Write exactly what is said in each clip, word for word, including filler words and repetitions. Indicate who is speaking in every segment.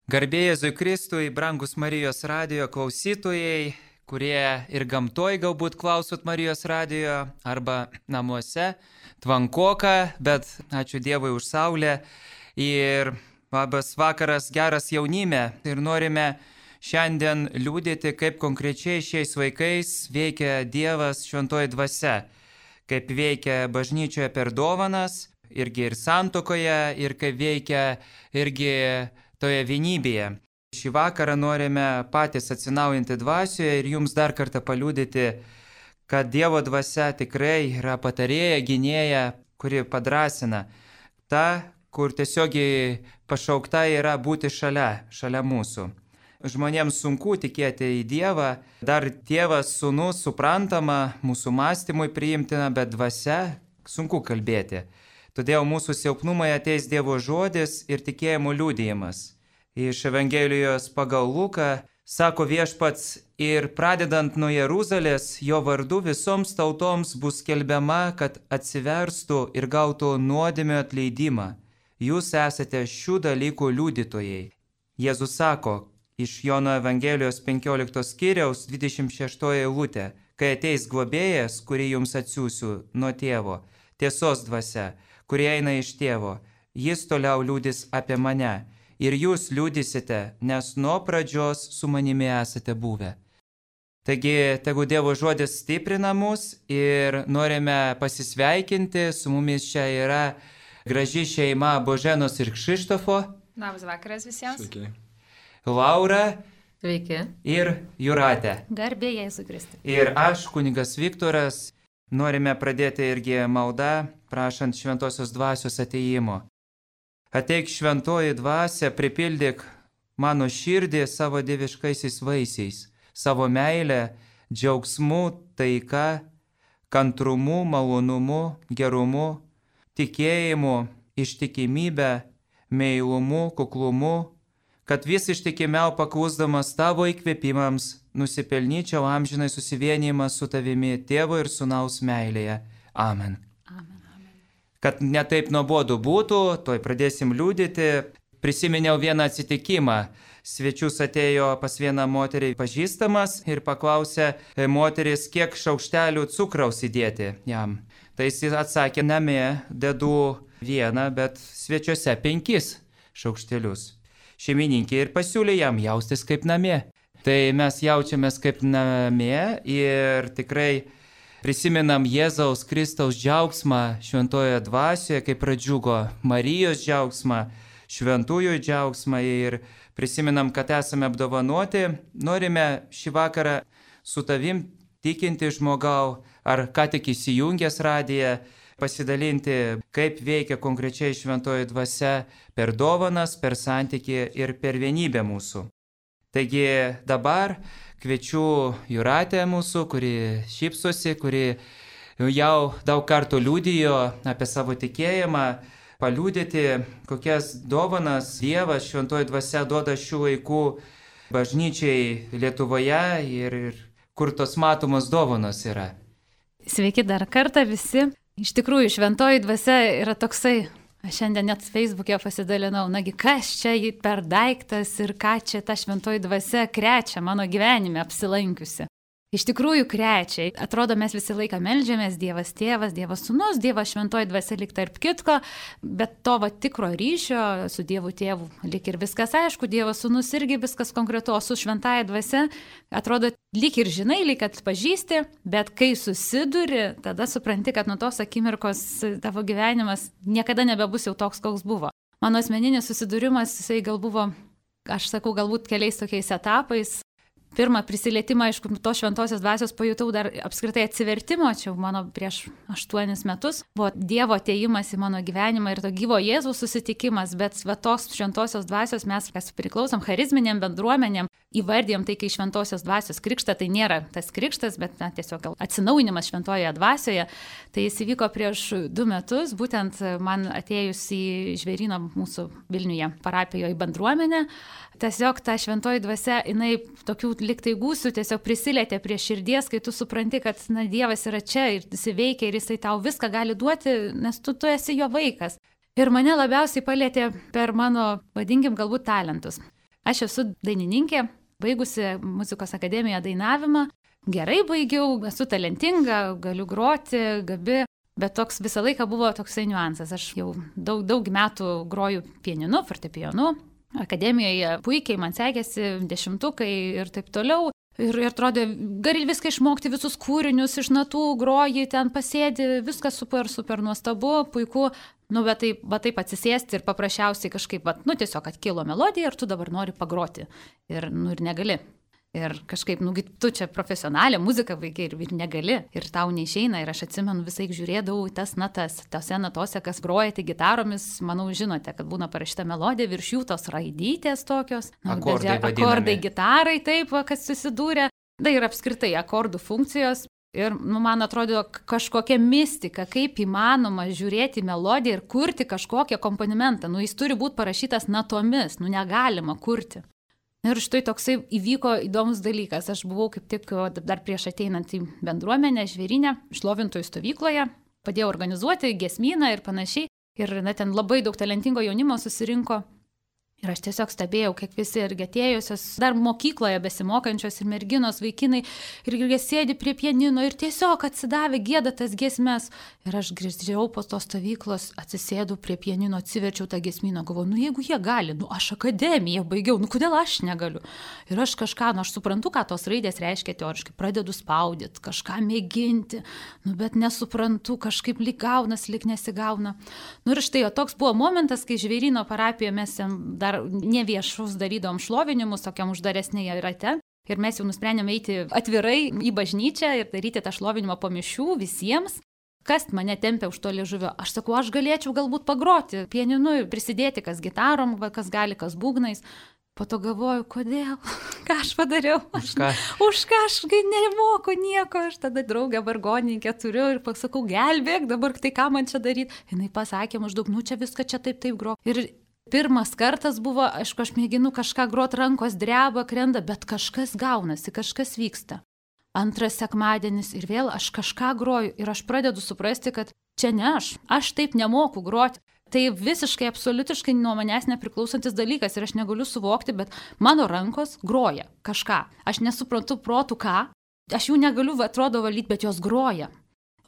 Speaker 1: Garbė Jėzui Kristui, brangus Marijos radijo klausytojai, kurie ir gamtoj galbūt klausot Marijos radijo arba namuose, tvankoka, bet ačiū Dievui už saulę ir labas vakaras geras jaunime ir norime šiandien liūdėti, kaip konkrečiai šiais vaikais veikia Dievas šventoji dvasia, kaip veikia bažnyčioje per dovanas, irgi ir santuokoje, ir kaip veikia irgi toje vienybėje. Šį vakarą norime patys atsinaujinti dvasioje ir jums dar kartą paliudyti, kad Dievo dvasia tikrai yra patarėja, gynėja, kuri padrasina. Ta, kur tiesiogiai pašaukta yra būti šalia, šalia mūsų. Žmonėms sunku tikėti į Dievą, dar Tėvas, Sūnus suprantama, mūsų mąstymui priimtina, bet dvasia sunku kalbėti. Todėl mūsų silpnumai ateis Dievo žodis ir tikėjimo liudijimas. Iš Evangelijos pagal Luką sako Viešpats, ir pradedant nuo Jeruzalės, jo vardu visoms tautoms bus skelbiama, kad atsiverstų ir gautų nuodėmio atleidimą. Jūs esate šių dalykų liudytojai. Jėzus sako iš Jono Evangelijos penkioliktos skyriaus dvidešimt šeštoji eilutė, kai ateis globėjas, kurį jums atsiųsiu nuo tėvo, tiesos dvasia, kurie eina iš tėvo, jis toliau liudys apie mane. Ir jūs liudysite, nes nuo pradžios su manimi esate buvę. Taigi, tegu Dievo žodis stiprina mus ir norime pasisveikinti. Su mumis čia yra graži šeima Boženos ir Kšištofo.
Speaker 2: Labas vakaras visiems.
Speaker 3: Sveiki.
Speaker 1: Laura.
Speaker 4: Sveiki.
Speaker 1: Ir Jūratė.
Speaker 2: Garbė Jėzui Kristui.
Speaker 1: Ir aš, kunigas Viktoras, norime pradėti irgi maldą, prašant šventosios dvasios atėjimo. Ateik šventoji dvasia, pripildyk mano širdį savo dieviškaisiais vaisiais, savo meilę, džiaugsmu, taika, kantrumu, malonumu, gerumu, tikėjimu, ištikimybę, meilumu, kuklumu, kad vis ištikimiau paklusdamas tavo įkvėpimams nusipelnyčiau amžinai susivienijimą su tavimi tėvo ir sūnaus meilėje. Amen. Kad netaip nuobodu būtų, toj pradėsim liudyti. Prisiminiau vieną atsitikimą. Svečius atėjo pas vieną moterį pažįstamas ir paklausė moteris, kiek šaukštelių cukraus įdėti jam. Tai jis atsakė, namie dedu vieną, bet svečiuose penkis šaukštelius. Šeimininkė ir pasiūlė jam jaustis kaip namie. Tai mes jaučiamės kaip namie ir tikrai prisimenam Jėzaus Kristaus džiaugsmą šventojoje dvasioje, kaip pradžiugo Marijos džiaugsmą, šventųjų džiaugsmą ir prisimenam, kad esame apdovanoti. Norime šį vakarą su tavim tikinti žmogau, ar ką tik įsijungęs radiją, pasidalinti, kaip veikia konkrečiai šventoji dvasia per dovanas, per santykį ir per vienybę mūsų. Taigi dabar kviečiu Jūratę mūsų, kuri šypsosi, kuri jau daug kartų liudijo apie savo tikėjimą, paliudyti, kokias dovanas Dievas šventoji dvasia duoda šių laikų bažnyčiai Lietuvoje ir, ir kur tos matomos dovanos yra.
Speaker 2: Sveiki dar kartą visi. Iš tikrųjų, šventoji dvasia yra toksai. Aš šiandien net Facebook'e pasidalinau, nagi kas čia per daiktas ir ką čia ta šventoji dvasia krečia mano gyvenime apsilankiusi. Iš tikrųjų krečia. Atrodo, mes visą laiką meldžiamės, Dievas tėvas, Dievas sūnus, Dievas šventoji dvasia lyg tarp kitko, bet to va tikro ryšio su Dievu tėvu lyg ir viskas aišku, Dievas sūnus irgi viskas konkretu, o su šventąja dvasia atrodo lyg ir žinai, lyg atpažįsti, bet kai susiduri, tada supranti, kad nuo tos akimirkos tavo gyvenimas niekada nebebus jau toks, koks buvo. Mano asmeninis susidūrimas, jisai gal buvo, aš sakau, galbūt keliais tokiais etapais. Pirmą prisilietimą, aišku, tos šventosios dvasios pajutau dar apskritai atsivertimo, čia mano prieš aštuonis metus, buvo Dievo atėjimas į mano gyvenimą ir to gyvo Jėzaus susitikimas, bet va tos šventosios dvasios mes, kas priklausom charizminėm bendruomenėm, įvardėjom tai, kai šventosios dvasios krikštą, tai nėra tas krikštas, bet na, tiesiog gal atsinaujinimas šventojoje dvasioje, tai jis įvyko prieš du metus, būtent man atėjus į Žvėryno mūsų Vilniuje parapijoje bendruomenę. Tiesiog ta šventoji dvasia, jinai tokių liktai gūsių tiesiog prisilietė prie širdies, kai tu supranti, kad na, Dievas yra čia ir jis veikia ir jisai tau viską gali duoti, nes tu, tu esi jo vaikas. Ir mane labiausiai palėtė per mano, vadinkim, galbūt talentus. Aš esu dainininkė, baigusi muzikos akademiją dainavimą. Gerai baigiau, esu talentinga, galiu groti, gabi, bet toks visą laiką buvo toksai niuansas. Aš jau daug, daug metų groju pianinu, fortepijonu, akademijoje puikiai man sekėsi, dešimtukai ir taip toliau. Ir, ir atrodė, gali viską išmokti, visus kūrinius iš natų, groji, ten pasėdi, viskas super, super nuostabu, puiku. Nu, bet taip, bet taip atsisėsti ir paprasčiausiai kažkaip, bet, nu, tiesiog atkilo melodija ir tu dabar nori pagroti. Ir, nu, ir negali. Ir kažkaip, nu, tu čia profesionalė muzika vaikai ir, ir negali, ir tau neišeina. Ir aš atsimenu, visai žiūrėdavau tas natas, tose natose, kas grojate gitaromis, manau, žinote, kad būna parašyta melodija, virš jų tos raidytės tokios. Nu,
Speaker 1: akordai,
Speaker 2: akordai gitarai, taip, kas susidūrė. Tai yra apskritai akordų funkcijos. Ir, nu, man atrodo, kažkokia mistika, kaip įmanoma žiūrėti melodiją ir kurti kažkokią akompanimentą. Nu, jis turi būti parašytas natomis, nu, negalima kurti. Ir štai toksai įvyko įdomus dalykas. Aš buvau kaip tik dar prieš ateinant į bendruomenę, žvėrynę, šlovintojų stovykloje, padėjau organizuoti giesmyną ir panašiai. Ir na, ten labai daug talentingo jaunimo susirinko. Ir aš tiesiog stebėjau, kiek visi irgi atėjusios, dar mokykloje besimokančios ir merginos, vaikinai, ir jie sėdi prie pianino ir tiesiog atsidavė gieda tas giesmes. Ir aš grįždžiau po tos stovyklos, atsisėdau prie pianino, atsiverčiau tą giesmyną, galvoju, nu jeigu jie gali, nu aš akademiją baigiau, nu kodėl aš negaliu. Ir aš kažką, nu aš suprantu, ką tos raidės reiškia teoriškai, pradedu spaudyti, kažką mėginti, nu bet nesuprantu, kažkaip lyg gaunas, lyg nesigauna. Nu ir štai, o toks buvo momentas, kai Žvėryno parapijoje mes dar ne viešus darydom šlovinimus, tokiam uždaresnėje rate. Ir mes jau nusprendėme eiti atvirai į bažnyčią ir daryti tą šlovinimą po mišių visiems. Kas mane tempia už to liežuvio? Aš sakau, aš galėčiau galbūt pagroti pianinu, prisidėti, kas gitarom, kas gali, kas būgnais. Po to galvoju, kodėl? Ką aš padariau? Aš,
Speaker 1: už ką?
Speaker 2: Už ką aš nemoku nieko. Aš tada draugę vargonininkę turiu ir pasakau, gelbėk, dabar tai ką man čia daryti? Jinai pasakė maždaug, nu čia viską čia taip taip gro. Ir pirmas kartas buvo, aišku, aš mėginu kažką grot, rankos dreba, krenda, bet kažkas gaunasi, kažkas vyksta. Antras sekmadienis ir vėl aš kažką groju ir aš pradedu suprasti, kad čia ne aš, aš taip nemoku groti. Tai visiškai, absoliutiškai nuo manęs nepriklausantis dalykas ir aš negaliu suvokti, bet mano rankos groja kažką. Aš nesuprantu protų ką, aš jų negaliu, atrodo, valyti, bet jos groja.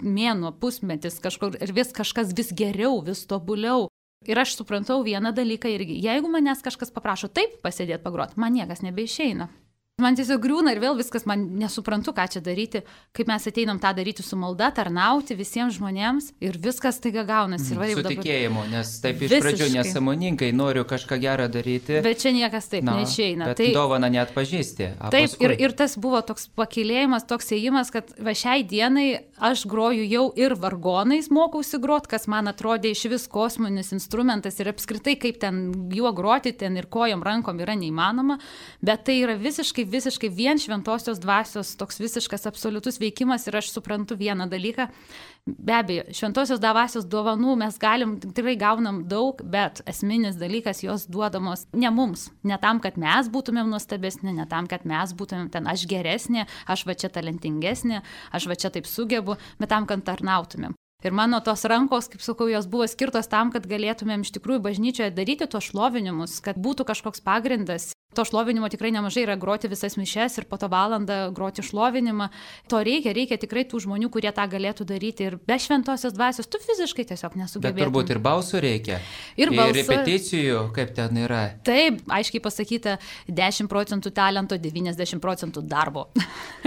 Speaker 2: Mėnuo, pusmetis kažkur ir vis kažkas vis geriau, vis tobuliau. Ir aš suprantau vieną dalyką irgi. Jeigu manęs kažkas paprašo taip pasėdėti pagroti, man niekas nebeišeina. Man tiesiog griūna ir vėl viskas, man nesuprantu, ką čia daryti, kaip mes ateinam tą daryti su malda, tarnauti visiems žmonėms ir viskas taiga gaunasi. Ir
Speaker 1: su tikėjimu, dabar... nes taip iš
Speaker 2: Visiškai.
Speaker 1: Pradžių nesąmoningai noriu kažką gerą daryti.
Speaker 2: Bet čia niekas taip Na, neišeina.
Speaker 1: Bet tai... dovaną neatpažįsti.
Speaker 2: Taip, paskui... ir, ir tas buvo toks pakilėjimas, toks ėjimas, kad va šiai dienai aš groju jau ir vargonais mokausi grot, kas man atrodė iš vis kosminis instrumentas ir apskritai kaip ten juo groti, ten ir kojom, rankom yra neįmanoma, bet tai yra visiškai visiškai vien šventosios dvasios toks visiškas absoliutus veikimas ir aš suprantu vieną dalyką. Be abejo, šventosios dvasios dovanų mes galim, tikrai gaunam daug, bet esminis dalykas jos duodamos ne mums, ne tam, kad mes būtumėm nuostabesni, ne tam, kad mes būtumėm ten aš geresnė, aš va čia talentingesnė, aš va čia taip sugebu, bet tam, kad tarnautumėm. Ir mano tos rankos, kaip sakau, jos buvo skirtos tam, kad galėtumėm iš tikrųjų bažnyčioje daryti tos šlovinimus, kad būtų kažkoks pagrindas. To šlovinimo tikrai nemažai yra groti visas mišes ir po to valandą groti šlovinimą. To reikia, reikia tikrai tų žmonių, kurie tą galėtų daryti. Ir be šventosios dvasios tu fiziškai tiesiog nesugebėtum.
Speaker 1: Bet turbūt ir balsų reikia.
Speaker 2: Ir, balsų...
Speaker 1: ir repeticijų, kaip ten yra.
Speaker 2: Taip, aiškiai pasakyta, dešimt procentų talento, devyniasdešimt procentų darbo.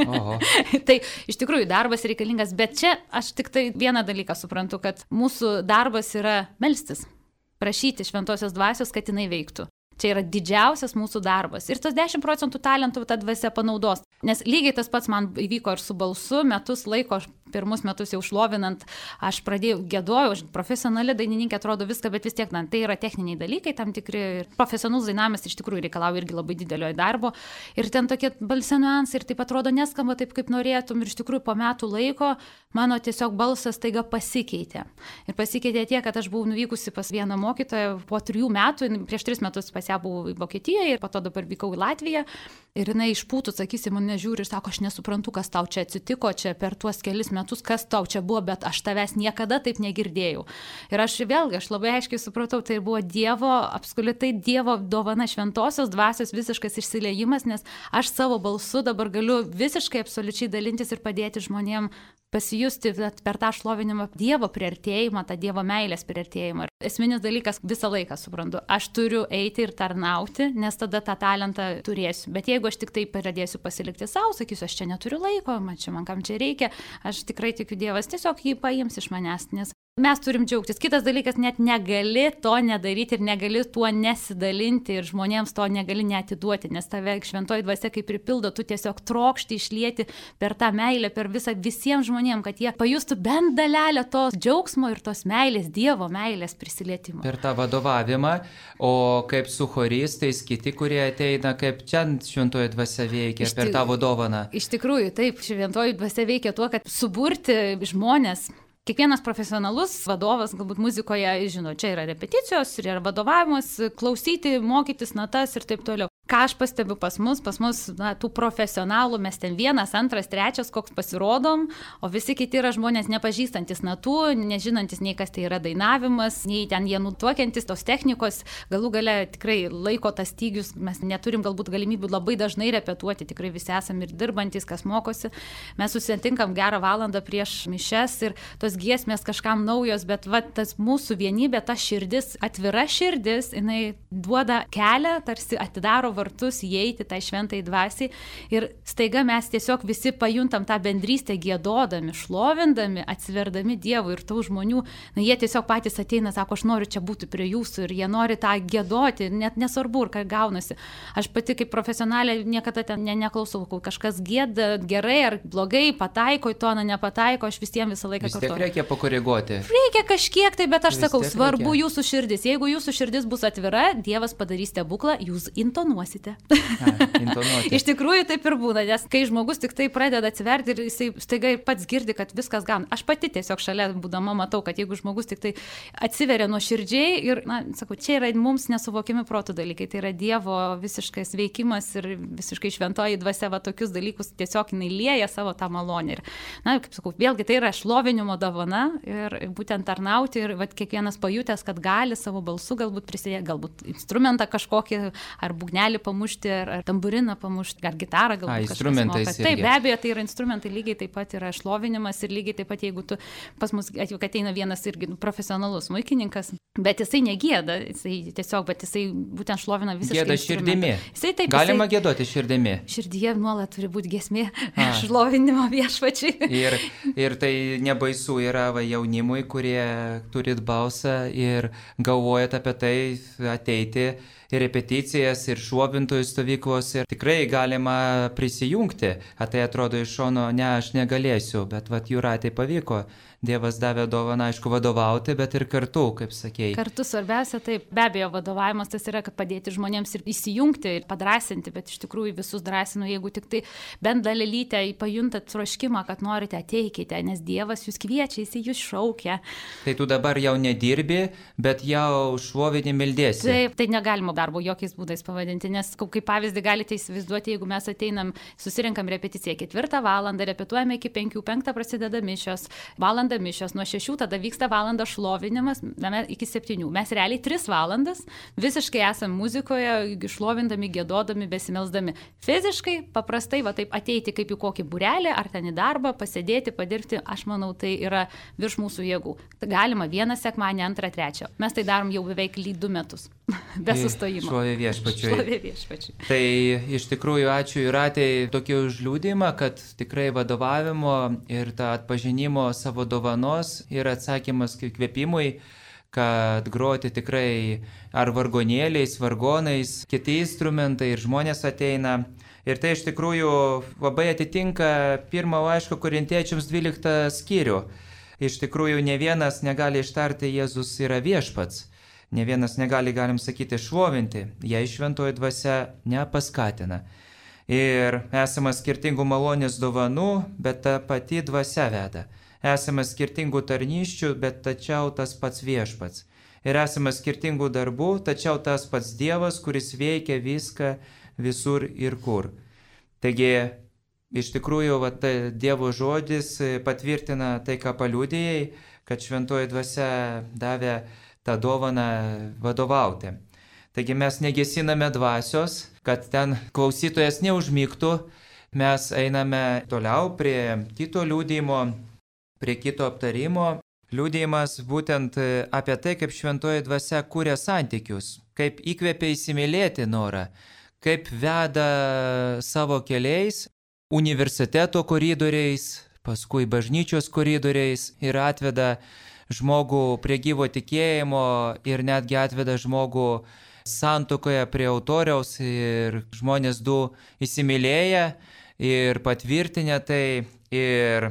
Speaker 1: Oho.
Speaker 2: Tai iš tikrųjų darbas reikalingas, bet čia aš tik tai vieną dalyką suprantu, kad mūsų darbas yra melstis, prašyti šventosios dvasios, kad jinai veiktų. Čia yra didžiausias mūsų darbas. Ir tas dešimt procentų talentų ta dvasia panaudos. Nes lygiai tas pats man įvyko ir su balsu, metus laiko, pirmus metus jau šlovinant, aš pradėjau gėdojau, aš profesionali dainininkė, atrodo viską, bet vis tiek, na, tai yra techniniai dalykai, tam tikri profesionalus dainavimas iš tikrųjų reikalauja irgi labai didelio darbo. Ir ten tokie balsio niuansai ir taip atrodo neskamba taip, kaip norėtum. Ir iš tikrųjų po metų laiko mano tiesiog balsas taiga pasikeitė. Ir pasikeitė tiek, kad aš buvau nuvykusi pas vieną mokytoją po trijų metų, prieš tris metus pas pas ją buvau Vokietijoje ir po to dabar vykau į Latviją. Ir jinai išpūtų, sakysi, mane žiūri ir sako, aš nesuprantu, kas tau čia atsitiko, čia per tuos kelis metus, kas tau čia buvo, bet aš tavęs niekada taip negirdėjau. Ir aš vėlgi, aš labai aiškiai supratau, tai buvo Dievo, apskritai Dievo dovana, šventosios dvasios visiškas išsiliejimas, nes aš savo balsu dabar galiu visiškai absoliučiai dalintis ir padėti žmonėm pasijusti per tą šlovinimą Dievo priartėjimą, tą Dievo meilės priartėjimą. Esminis dalykas visą laiką suprantu, aš turiu eiti ir tarnauti, nes tada tą talentą turėsiu. Bet jeigu aš tik tai pradėsiu pasilikti savo, sakysiu, aš čia neturiu laiko, man čia man kam čia reikia, aš tikrai tikiu Dievas tiesiog jį paims iš manęs, nes mes turim džiaugtis. Kitas dalykas, net negali to nedaryti ir negali tuo nesidalinti ir žmonėms to negali neatiduoti, nes tave šventoji dvasia kaip pripildo, tu tiesiog trokšti išlieti per tą meilę, per visą visiems žmonėms, kad jie pajustų bent dalelę tos džiaugsmo ir tos meilės, Dievo meilės prisilietimo.
Speaker 1: Per tą vadovavimą, o kaip su choristais, kiti, kurie ateina, kaip čia šventoji dvasia veikia, per tą vadovaną.
Speaker 2: Iš tikrųjų, taip, šventoji dvasia veikia tuo, kad suburti žmonės. Kiekvienas profesionalus vadovas, galbūt muzikoje, žino, čia yra repeticijos, yra vadovavimas, klausyti, mokytis natas ir taip toliau. Ką aš pastebiu pas mus, pas mus na, tų profesionalų, mes ten vienas, antras, trečias, koks pasirodom, o visi kiti yra žmonės nepažįstantis natų, nežinantis nei kas tai yra dainavimas, nei ten jie nutuokiantis tos technikos, galų gale tikrai laiko tas stygius, mes neturim galbūt galimybių labai dažnai repetuoti, tikrai visi esame ir dirbantis, kas mokosi, mes susitinkam gerą valandą prieš mišes ir tos giesmės kažkam naujos, bet va, tas mūsų vienybė, ta širdis, atvira širdis, jinai duoda kelią, tarsi atidaro vartus įeiti tai šventai dvasiai ir staiga mes tiesiog visi pajuntam tą bendrystę giedodami, šlovindami, atsiverdami Dievui ir tų žmonių, na, jie tiesiog patys ateina, sako, aš noriu čia būti prie jūsų ir jie nori tą giedoti, net nesvarbu, ką gaunasi. Aš pati kaip profesionalė niekada ten ne, neklausau, kol kažkas gieda gerai ar blogai, pataiko į toną, nepataiko, aš visiems visą laiką kartuoju.
Speaker 1: Vis tiek reikia pakoreguoti.
Speaker 2: Reikia kažkiek tai, bet aš
Speaker 1: Vis
Speaker 2: sakau, svarbu
Speaker 1: reikia.
Speaker 2: Jūsų širdis. Jeigu jūsų širdis bus atvira, Dievas padarys stebuklą, jūs intonuosite.
Speaker 1: A,
Speaker 2: Iš tikrųjų taip ir būna, nes kai žmogus tik tai pradeda atsiverti ir jisai staiga pats girdi, kad viskas gauna. Aš pati tiesiog šalia būdama matau, kad jeigu žmogus tik tai atsiveria nuoširdžiai ir, na, sakau, čia yra mums nesuvokiami protų dalykai, tai yra Dievo visiškas veikimas ir visiškai šventoji dvasia va tokius dalykus tiesiog jinai lieja savo tą malonę. Ir, na, kaip sakau, vėlgi tai yra šlovinimo dovana ir būtent tarnauti ir va kiekvienas pajutęs, kad gali savo balsu galbūt prisidėti, galbūt instrumentą kažkokį ar būgnelį pamušti, ar, ar tamburiną pamušti, ar gitarą galbūt.
Speaker 1: A, instrumentais irgi.
Speaker 2: Taip, be abejo, tai yra instrumentai, lygiai taip pat yra šlovinimas ir lygiai taip pat, jeigu tu pas mus ateina vienas irgi profesionalus smuikininkas, bet jisai negėda, jisai tiesiog, bet jisai būtent šlovina visiškai.
Speaker 1: Gėda širdimi.
Speaker 2: Jisai, taip,
Speaker 1: Galima
Speaker 2: jisai,
Speaker 1: gėdoti širdimi.
Speaker 2: Širdyje nuolat turi būti giesmė šlovinimo viešpačiai.
Speaker 1: Ir, ir tai nebaisu yra va, jaunimui, kurie turit balsą ir galvojat apie tai ateiti ir repeticijas, ir šlovintojų stovyklos, ir tikrai galima prisijungti. A tai atrodo iš šono, ne, aš negalėsiu, bet vat Jūratei pavyko. Dievas davė dovaną, aišku, vadovauti, bet ir kartu, kaip sakėjai.
Speaker 2: Kartu svarbiausia, taip, be abejo, vadovavimas tas yra, kad padėti žmonėms ir įsijungti, ir padrasinti, bet iš tikrųjų visus drąsinu, jeigu tik tai bent dalelytę pajuntat troškimą, kad norite, ateikite, nes Dievas jūs kviečia, jis jūs šaukia.
Speaker 1: Tai tu dabar jau nedirbi, bet jau šlovinį meldėsi.
Speaker 2: Taip, tai negalima darbo jokiais būdais pavadinti, nes kaip pavyzdį galite įsivaizduoti, jeigu mes ateinam, susirinkam repeticiją ketvirtą valandą, repetuojame iki penkių, penktą prasideda mišios, valandą mišios, nuo šešių tada vyksta valanda šlovinimas, iki septynių. Mes realiai tris valandas visiškai esam muzikoje, šlovindami, giedodami, besimelsdami. Fiziškai, paprastai, va taip ateiti kaip į kokį būrelį, ar ten į darbą, pasėdėti, padirbti, aš manau, tai yra virš mūsų jėgų. Galima vieną sekmanį, antrą, trečią. Mes tai darom jau beveik du metus, be sustojimo.
Speaker 1: Šlovė viešpačiui.
Speaker 2: Šlovė viešpačiui.
Speaker 1: Tai iš tikrųjų ačiū Jūratei tokį užliūdimą, kad tikrai vadovavimo ir tą atpažinimo savo dovanos ir atsakymas kvėpimui, kad groti tikrai ar vargonėliais, vargonais, kiti instrumentai ir žmonės ateina. Ir tai iš tikrųjų labai atitinka pirmą laiško Korintiečiams dvyliktą skyrių. Iš tikrųjų ne vienas negali ištarti Jėzus yra viešpats. Ne vienas negali, galim sakyti, šlovinti, jei šventoji dvasia nepaskatina. Ir esama skirtingų malonės dovanų, bet ta pati dvasia veda. Esame skirtingų tarnysčių, bet tačiau tas pats viešpats. ir esame skirtingų darbų, tačiau tas pats Dievas, kuris veikia viską visur ir kur. Taigi, iš tikrųjų, va, tai Dievo žodis patvirtina tai, ką paliudijai, kad šventoji dvasia davė tą dovaną vadovauti. Taigi mes negesiname dvasios, kad ten klausytojas neužmygtų, mes einame toliau prie kito liudijimo, prie kito aptarimo. Liudijimas būtent apie tai, kaip šventoji dvasia kūrė santykius, kaip įkvėpia įsimylėti norą, kaip veda savo keliais, universiteto koridoriais, paskui bažnyčios koridoriais ir atveda žmogų prie gyvo tikėjimo ir netgi atveda žmogų santuokoje prie autoriaus ir žmonės du įsimylėję ir patvirtinę tai ir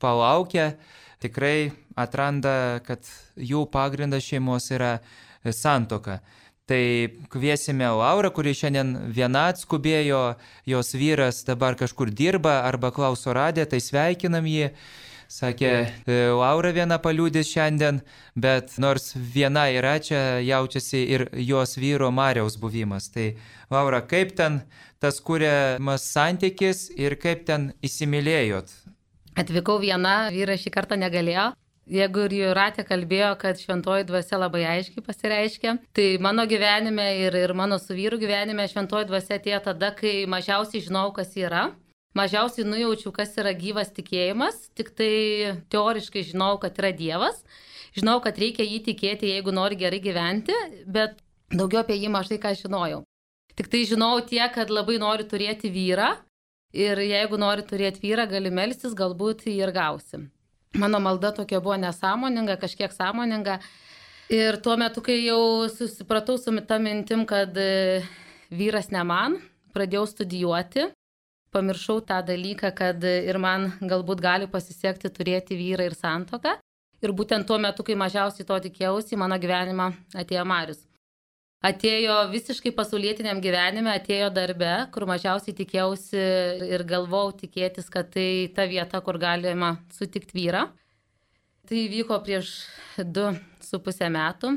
Speaker 1: palaukę, tikrai atranda, kad jų pagrindas šeimos yra santuoka. Tai kviesime Laurą, kuri šiandien viena atskubėjo, jos vyras dabar kažkur dirba arba klauso radiją, tai sveikinam jį. Sakė, Laura viena paliudys šiandien, bet nors viena yra, čia jaučiasi ir jos vyro Mariaus buvimas. Tai Laura, kaip ten tas kuriamas santykis ir kaip ten įsimylėjot?
Speaker 3: Atvykau viena, vyras šį kartą negalėjo. Jeigu ir Jūratė kalbėjo, kad šventoji dvasia labai aiškiai pasireiškia, tai mano gyvenime ir, ir mano su vyru gyvenime šventoji dvasia atėjo tada, kai mažiausiai žinau, kas yra. Mažiausiai nujaučiu, kas yra gyvas tikėjimas, tik tai teoriškai žinau, kad yra Dievas. Žinau, kad reikia jį tikėti, jeigu nori gerai gyventi, bet daugiau apie jį mažai ką žinojau. Tik tai žinau tiek, kad labai noriu turėti vyrą ir jeigu nori turėti vyrą, gali melstis, galbūt jį ir gausi. Mano malda tokia buvo nesąmoninga, kažkiek sąmoninga. Ir tuo metu, kai jau susipratau su ta mintim, kad vyras ne man, pradėjau studijuoti. Pamiršau tą dalyką, kad ir man galbūt gali pasisekti turėti vyrą ir santuoką. Ir būtent tuo metu, kai mažiausiai to tikėjausi, į mano gyvenimą atėjo Marius. Atėjo visiškai pasaulietiniam gyvenime, atėjo darbe, kur mažiausiai tikėjausi ir galvojau tikėtis, kad tai ta vieta, kur galima sutikti vyrą. Tai vyko prieš du su pusę metų.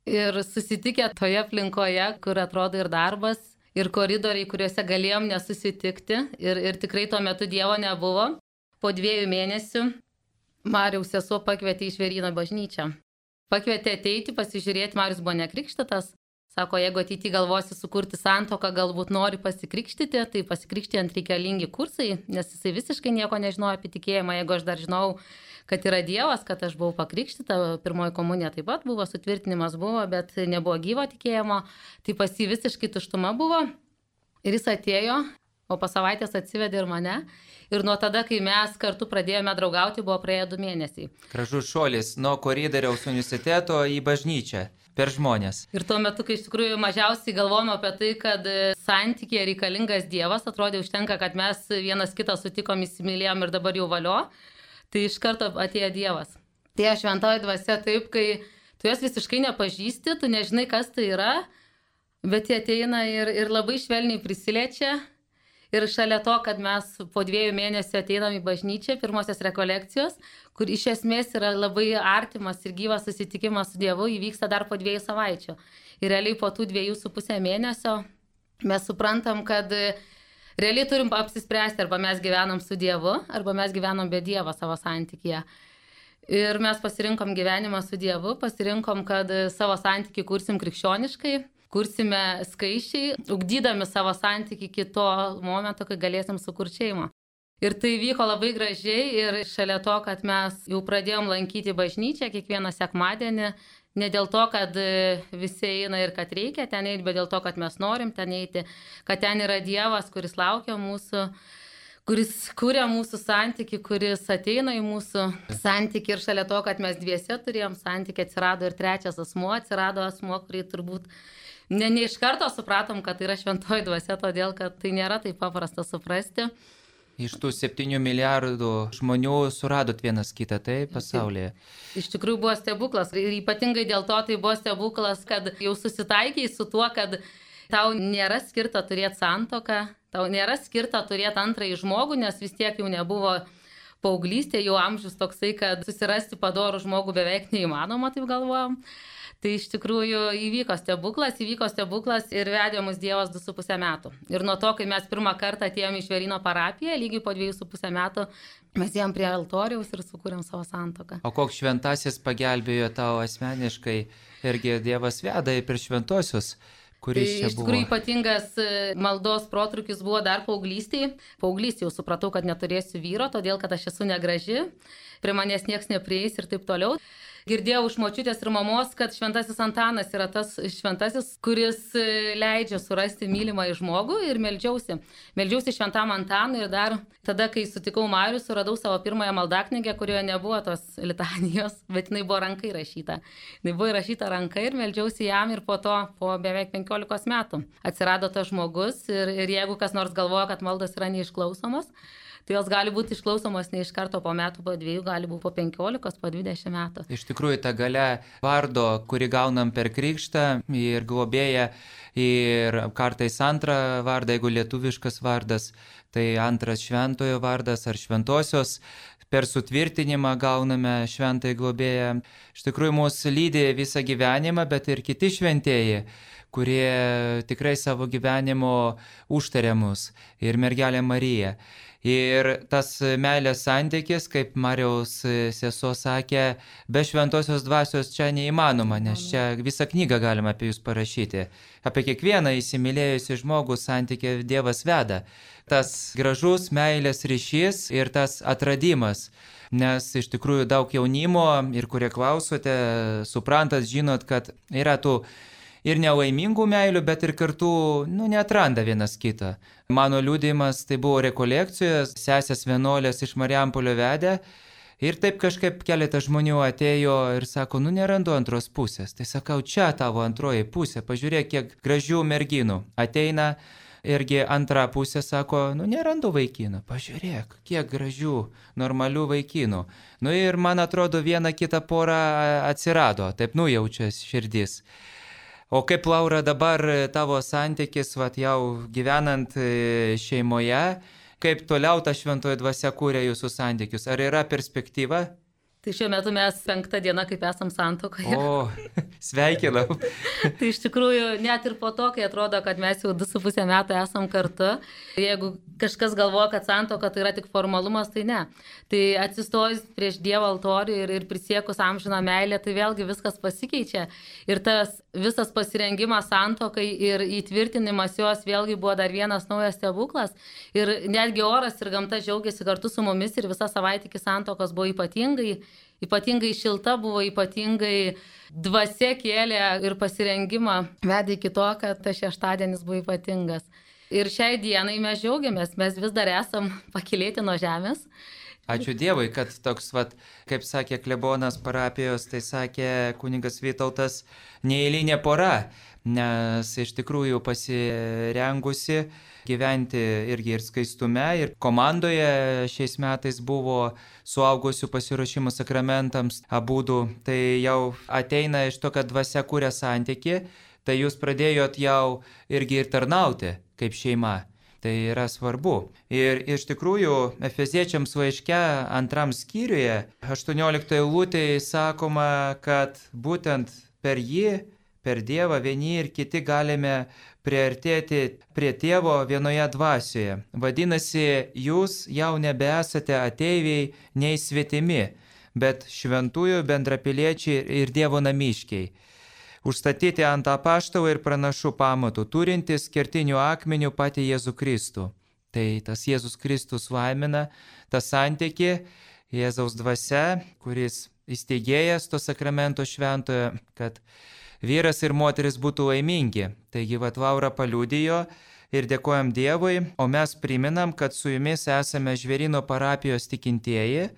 Speaker 3: Ir susitikę toje aplinkoje, kur atrodo ir darbas, ir koridoriai, kuriuose galėjom nesusitikti. Ir, ir tikrai tuo metu Dievo nebuvo. Po dviejų mėnesių Mariaus sesuo pakvietė į Žvėryno bažnyčią. Pakvietė ateiti, pasižiūrėti, Marius buvo nekrikštytas. Sako, jeigu ateity galvosi sukurti santuoką, galbūt nori pasikrikštyti, tai pasikrikštijant reikalingi kursai, nes jisai visiškai nieko nežinojo apie tikėjimą. Jeigu aš dar žinau, kad yra Dievas, kad aš buvau pakrikštyta, pirmoji komunija taip pat buvo, sutvirtinimas buvo, bet nebuvo gyvo tikėjimo, tai pas jį visiškai tuštuma buvo. Ir jis atėjo, o po savaitės atsivedė ir mane. Ir nuo tada, kai mes kartu pradėjome draugauti, buvo praėję du mėnesiai.
Speaker 1: Gražus šuolis nuo koridoriaus universiteto į bažnyčią. Per žmonės.
Speaker 3: Ir tuo metu, kai iš tikrųjų mažiausiai galvojame apie tai, kad santykiai reikalingas Dievas, atrodė užtenka, kad mes vienas kitą sutikom, įsimylėjom ir dabar jau valio, tai iš karto atėjo Dievas. Tai šventoji dvasia taip, kai tu jas visiškai nepažįsti, tu nežinai, kas tai yra, bet jie ateina ir, ir labai švelniai prisiliečia. Ir šalia to, kad mes po dviejų mėnesių ateinam į bažnyčią, pirmosios rekolekcijos, kur iš esmės yra labai artimas ir gyvas susitikimas su Dievu, įvyksta dar po dviejų savaičių. Ir realiai po tų dviejų su pusę mėnesio mes suprantam, kad realiai turim apsispręsti, arba mes gyvenam su Dievu, arba mes gyvenam be Dievo savo santykyje. Ir mes pasirinkom gyvenimą su Dievu, pasirinkom, kad savo santykį kursim krikščioniškai, kursime skaičiai, ugdydami savo santykį iki to momento, kai galėsim sukurti šeimą. Ir tai vyko labai gražiai ir šalia to, kad mes jau pradėjom lankyti bažnyčią kiekvieną sekmadienį, ne dėl to, kad visi eina ir kad reikia ten eiti, bet dėl to, kad mes norim ten eiti, kad ten yra Dievas, kuris laukia mūsų, kuris kuria mūsų santykį, kuris ateina į mūsų santykį ir šalia to, kad mes dviese turėjom santykį, atsirado ir trečias asmuo, atsirado asmuo, kurį turbūt Ne, ne iš karto supratom, kad tai yra šventoji dvasia, todėl kad tai nėra taip paprasta suprasti.
Speaker 1: Iš tų septynių milijardų žmonių suradot vienas kitą, tai pasaulyje.
Speaker 3: Iš tikrųjų buvo stebuklas. Ir ypatingai dėl to tai buvo stebuklas, kad jau susitaikiai su tuo, kad tau nėra skirta turėti santuoką, tau nėra skirta turėti antrąjį žmogų, nes vis tiek jau nebuvo paauglystė, jau amžius toksai, kad susirasti padorų žmogų beveik neįmanoma, taip galvojom. Tai iš tikrųjų įvyko stebuklas, įvyko stebuklas ir vedė mus Dievas du su pusę metų. Ir nuo to, kai mes pirmą kartą atėjome į Žvėryno parapiją, lygiai po dviejų su pusę metų, mes ėjom prie altoriaus ir sukūrėm savo santuoką.
Speaker 1: O koks šventasis pagelbėjo tau asmeniškai, irgi Dievas veda ir per šventosius, kuris čia buvo?
Speaker 3: Iš tikrųjų ypatingas maldos protrūkis buvo dar paauglystėje. Paauglystėje jau supratau, kad neturėsiu vyro, todėl kad aš esu negraži, prie manęs nieks neprieis ir taip toliau. Girdėjau iš močiutės ir mamos, kad šventasis Antanas yra tas šventasis, kuris leidžia surasti mylimą žmogų ir meldžiausi. Meldžiausi šventam Antanui ir dar tada, kai sutikau Marių, suradau savo pirmąją maldaknygę, kurioje nebuvo tos litanijos, bet jinai buvo rankai rašyta. Jinai buvo įrašyta rankai ir meldžiausi jam ir po to, po beveik penkiolikos metų, atsirado tas žmogus ir, ir jeigu kas nors galvoja, kad maldos yra neišklausomos, tai jos gali būti išklausomos ne iš karto po metų, po dviejų, gali būti po penkiolikos, po dvidešimt metų.
Speaker 1: Iš tikrųjų, ta galia vardo, kurį gaunam per krikštą ir globėją, ir kartais antrą vardą, jeigu lietuviškas vardas, tai antras šventojo vardas ar šventosios, per sutvirtinimą gauname šventąjį globėją. Iš tikrųjų, mūsų lydi visą gyvenimą, bet ir kiti šventieji, kurie tikrai savo gyvenimo užtarė mus, ir mergelė Marija. Ir tas meilės santykis, kaip Mariaus sesuo sakė, be šventosios dvasios čia neįmanoma, nes čia visą knygą galima apie jūs parašyti. Apie kiekvieną įsimylėjusi žmogų santykį Dievas veda. Tas gražus meilės ryšys ir tas atradimas. Nes iš tikrųjų daug jaunimo ir kurie klausote, suprantat, žinot, kad yra tų ir nelaimingų meilių, bet ir kartu, nu, neatranda vienas kitą. Mano liudijimas tai buvo rekolekcijos, sesės vienuolės iš Mariampolio vedė ir taip kažkaip keletas žmonių atėjo ir sako, nu, nerandu antros pusės. Tai sakau, čia tavo antroji pusė, pažiūrėk, kiek gražių merginų. Ateina irgi antra pusė, sako, nu, nerandu vaikinų, pažiūrėk, kiek gražių, normalių vaikinų. Nu ir man atrodo, viena kita pora atsirado, taip nujaučia širdis. O kaip, Laura, dabar tavo santykis, vat, jau gyvenant šeimoje, kaip toliau ta šventoji dvasia kūrė jūsų santykius? Ar yra perspektyva?
Speaker 3: Tai šiuo metu mes penktą dieną, kaip esam santuokoje.
Speaker 1: O, sveikinau.
Speaker 3: Tai iš tikrųjų, net ir po to, kai atrodo, kad mes jau du su pusę metų esam kartu, jeigu kažkas galvoja, kad santuoka tai yra tik formalumas, tai ne. Tai atsistojus prieš Dievo altorių ir, ir prisiekus amžiną meilę, tai vėlgi viskas pasikeičia. Ir tas visas pasirengimas santuokai ir įtvirtinimas jos vėlgi buvo dar vienas naujas stebuklas. Ir netgi oras ir gamta džiaugiasi kartu su mumis ir visa savaitė iki santuokos buvo ypatingai. Ypatingai šilta buvo, ypatingai dvasia kėlė ir pasirengimą vedė iki to, kad tas šeštadienis buvo ypatingas. Ir šiai dienai mes džiaugiamės, mes vis dar esam pakilėti nuo žemės.
Speaker 1: Ačiū Dievui, kad toks, vat, kaip sakė klebonas parapijos, tai sakė kunigas Vytautas, neeilinė pora, nes iš tikrųjų pasirengusi gyventi irgi ir skaistume, ir komandoje šiais metais buvo suaugusių pasiruošimų sakramentams abudu, tai jau ateina iš to, kad dvasia kūrė santyki, tai jūs pradėjot jau irgi ir tarnauti kaip šeima. Tai yra svarbu. Ir iš tikrųjų, Efeziečiams laiške antram skyriuje, aštuonioliktoje eilutėje sakoma, kad būtent per jį, per Dievą vieni ir kiti galime priartėti prie Tėvo vienoje dvasioje. Vadinasi, jūs jau nebesate ateiviai nei svetimi, bet šventųjų bendrapiliečiai ir Dievo namiškiai. Užstatyti ant apaštalų ir pranašų pamatų, turintis kertinių akmenių patį Jėzų Kristų. Tai tas Jėzus Kristus laimina tą santykį, Jėzaus dvasia, kuris įsteigėjas to sakramento šventojo, kad vyras ir moteris būtų laimingi. Taigi, vat, Laura paliudijo ir dėkojam Dievui, o mes priminam, kad su jumis esame Žvėryno parapijos tikintieji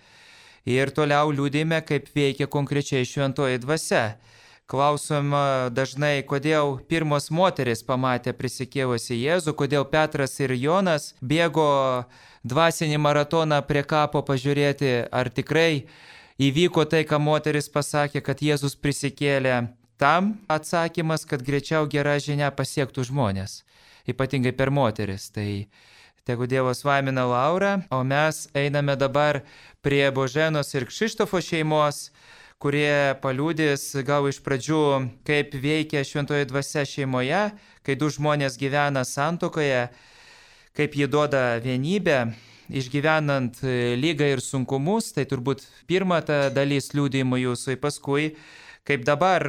Speaker 1: ir toliau liudime, kaip veikia konkrečiai šventoji dvasia. Klausom dažnai, kodėl pirmos moteris pamatė prisikėlusi Jėzų, kodėl Petras ir Jonas bėgo dvasinį maratoną prie kapo pažiūrėti, ar tikrai įvyko tai, ką moteris pasakė, kad Jėzus prisikėlė. Tam atsakymas, kad greičiau gera žinia pasiektų žmonės, ypatingai per moteris. Tai tegu Dievas laimina Laurą, o mes einame dabar prie Boženos ir Kšištofo šeimos, kurie paliudys gal iš pradžių, kaip veikia šventoji dvasia šeimoje, kai du žmonės gyvena santuokoje, kaip ji duoda vienybę, išgyvenant lygą ir sunkumus. Tai turbūt pirma ta dalis liudijimų jūsų, paskui kaip dabar